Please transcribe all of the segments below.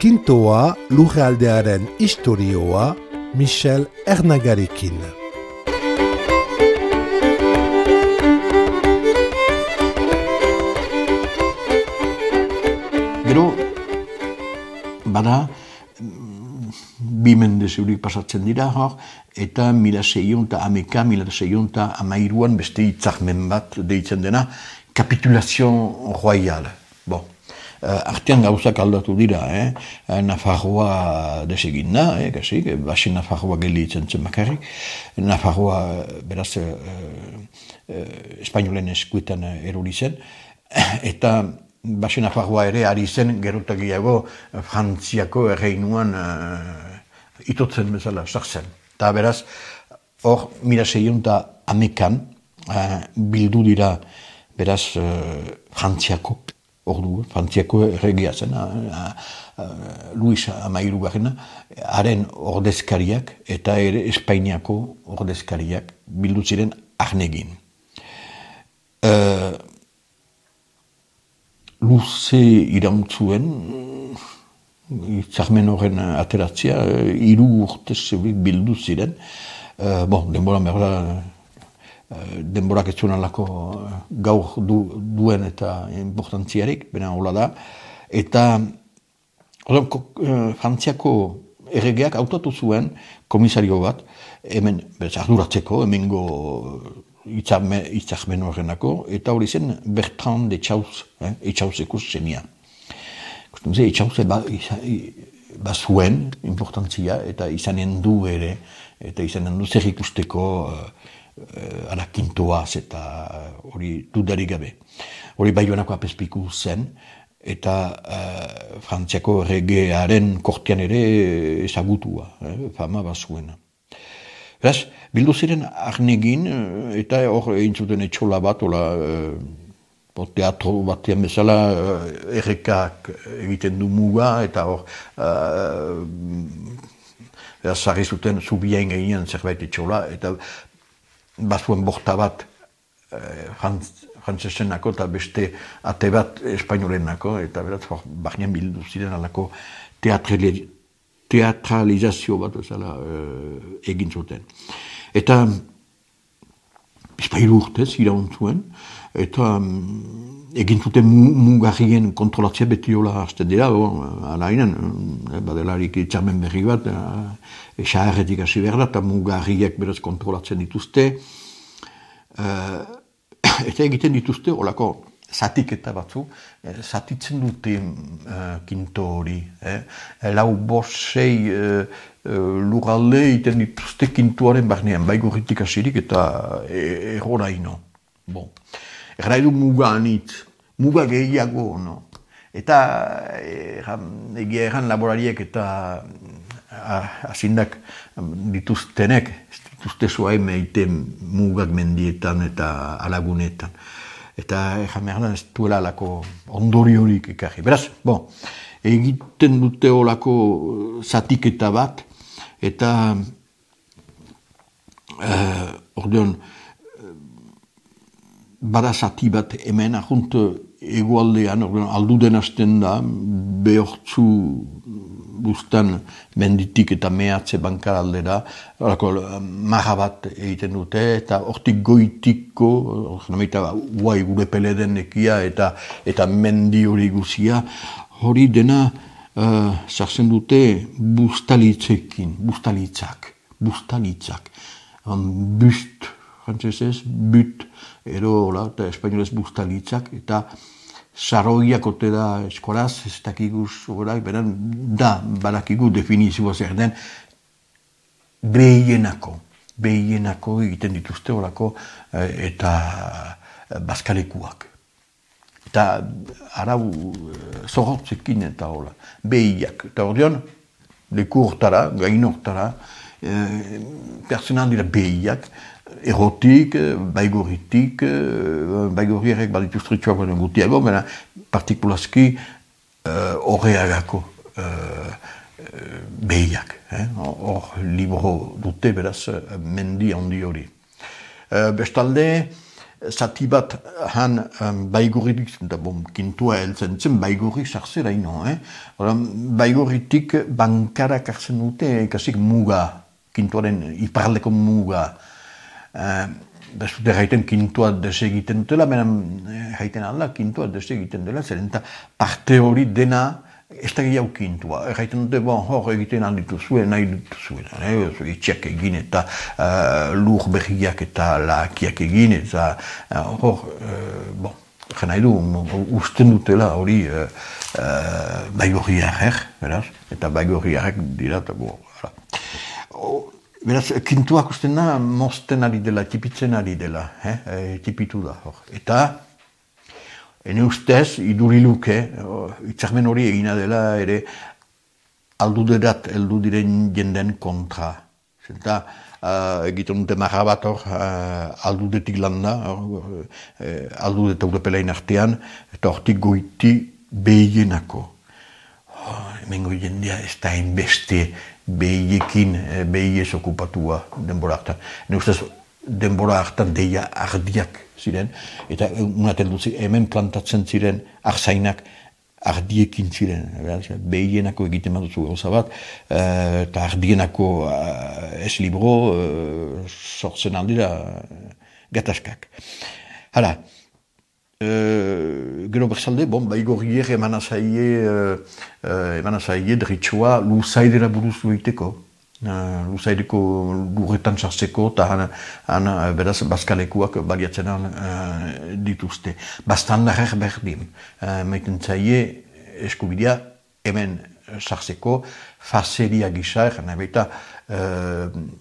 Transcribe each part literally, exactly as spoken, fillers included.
Kintoa lurraldearen istorioa Michel Ernagarekin. Gero, bada, bi mende zeurik pasatzen dira hor, eta mila seiehun eta hameka, mila seiehun eta hamairuan beste hitzarmen bat deitzen dena, Capitulation Royale. Bon. Uh, artean gauzak aldatu dira, eh? Nafarroa desegin da, eh, kasik, base Nafarroa gelditzen zen bakarrik. Nafarroa, beraz, uh, uh, espainolen eskuetan erori zen, eta base Nafarroa ere ari zen gerotagiago Frantziako erreinuan uh, itotzen bezala sartzen. Eta beraz, hor, mila seiehun eta hamekan uh, bildu dira, beraz, uh, Frantziako ordu, Frantziako erregia zen, Luis Hamahirugarrena, haren ordezkariak eta ere Espainiako ordezkariak bildu ziren Arnegin. Uh, luze irauntzuen, hitzarmen horren ateratzea, hiru urte zeurik bildu ziren. Uh, bon, denbora merda, denborak ez zuen alako gaur du, duen eta importantziarik, bena hola da. Eta odon, Frantziako erregeak hautatu zuen komisario bat, hemen arduratzeko, hemengo hitzarmen horrenako, eta hori zen Bertrand Etxauz, eh, Etxauzeko zenia. Etxauz ba, bazuen importantzia, eta izanen du ere, eta izanen du zer ikusteko Uh, ara kintoaz eta hori dudarik gabe. Hori Baionako apezpiku zen, eta uh, Frantziako erregearen kortean ere ezagutua, eh, fama bazuena. Beraz, bildu ziren Arnegin, eta hor egin zuten etxola bat, hola, uh, teatro batean bezala, uh, errekak egiten du muga, eta hor, uh, beraz, zarri zuten zubiain gehien zerbait etxola, eta bazuen borta bat eh, frantzesenako eta beste ate bat espainolenako, eta beraz, barnean bildu ziren alako teatralizazio bat ezala, eh, egin zuten. Eta bizpairu urtez irauntzuen, eta um, egin zuten mugarrien kontrolatzea beti hola hasten dira, alainen, badelarik itxarmen berri bat, esaharretik hasi behar da, eta mugarriek beraz kontrolatzen dituzte, uh, eta egiten dituzte holako zatiketa batzu, eh, zatitzen dute uh, kinto hori, eh? lau bosei uh, uh, lurralde egiten dituzte kintuaren barnean, baigurritik hasirik eta erroraino. Bon. Erraidu muga anitz, muga gehiago, no? Eta erran, egia erran laborariek eta azindak dituztenek, dituzte zoa emeiten mugak mendietan eta alagunetan. Eta erran merdan ez duela alako ondori horik ekarri. Beraz, bon, egiten dute olako zatiketa bat, eta uh, ordeon, bada zati bat hemen, ahunt egualdean, alduden hasten da, behortzu bustan menditik eta mehatze bankar aldera, marra bat egiten dute, eta hortik goitiko, guai gure peleden ekia, eta, eta mendi hori guzia, hori dena uh, sartzen dute bustalitzekin, bustalitzak, bustalitzak, um, bust, frantzesez, but, ero, hola, eta espainolez bustalitzak, eta saroiak ote da eskolaz, ez dakiguz, orak, beran, da, badakigu definizioa zer den, behienako, behienako egiten dituzte horako, eta bazkalekuak. Eta arau zorrotzekin eta hola, behiak. Eta ordean, leku hortara, gain hortara, personan dira behiak, erotik, baigorritik, baigorriarek badituztritxoak baino gutiago, baina partikulazki horreagako behiak. Hor libro dute, beraz, mendi handi hori. Bestalde, zati bat han um, baigorritik, eta bon, kintua heltzen zen, baigorri sartzera ino, eh? Baigorritik bankarak hartzen dute, ikasik muga, kintuaren iparleko muga. Uh, Ez dute jaiten kintua desegiten dutela, benen jaiten alda kintua desegiten dela, zer eta parte hori dena ez da gehiago kintua. Jaiten dute, bon, hor egiten alditu zuen, nahi ditu zuen, eh? Itxiak egin eta uh, lur berriak eta lakiak egin, eta uh, hor, uh, bon, jen nahi du, usten dutela hori uh, uh, baigorriarek, beraz, eta baigorriarek dira, eta bo, oh, beraz, kintuak usten da, mozten ari dela, tipitzen ari dela, eh? E, tipitu da, hor. Eta, ene ustez, iduriluke, itzarmen hori egina dela, ere, alduderat, eldu diren jenden kontra. Zenta, uh, egiten dute marra bat hor, uh, aldudetik landa, uh, aldudet europelain artean, eta hortik goiti behienako. Oh, hemengo jendea ez da hainbeste behiekin, behiez okupatua denbora hartan. Ne ustez, denbora hartan deia ardiak ziren, eta unaten duzi, hemen plantatzen ziren arzainak ardiekin ziren. Behienako egiten baduzu gauza bat, eta ardienako ez libro sortzen aldira gatazkak. Hala, Uh, gero berzalde, bon, baigorrier eman azaie, uh, uh, eman azaie derritxoa luzaidera buruz egiteko. Uh, luzaideko lurretan sartzeko, eta han, han beraz, bazkalekuak baliatzen uh, dituzte. Bastandarek berdin, uh, maiten zaie eskubidea hemen sartzeko, fazeria gisa, egan baita, uh,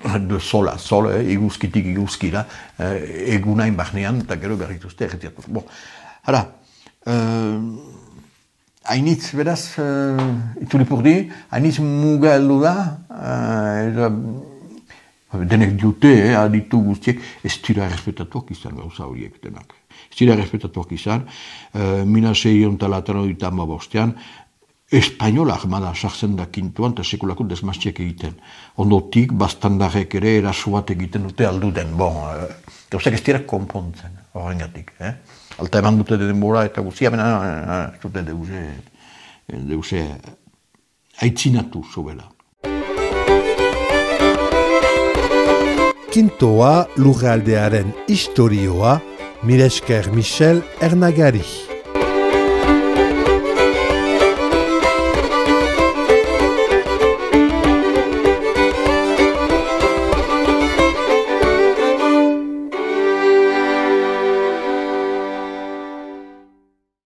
de sola, sol, eh, iguzkitik iguzkira, eh, egunain barnean, eta gero berrituzte erretiatu. Bon, hala, eh, hainitz, beraz, eh, itulipurdi, hainitz muga heldu da, eh, denek dute, eh, aditu guztiek, ez dira errespetatuak izan gauza horiek denak. Ez dira errespetatuak izan, eh, mila seiehun eta laurogeita hamabostean, Espainola armada sartzen da kintuan eta sekulako desmaztiak egiten. Ondotik, bastandarek ere eraso bat egiten dute alduden. Bon, gauzak ez dira konpontzen, horrengatik. Eh? Alta eman dute denbora eta guztia, bena, ez dute deuse, deuse aitzinatu zobela. Kintoa lurraldearen historioa, mila esker Michel Ernagari.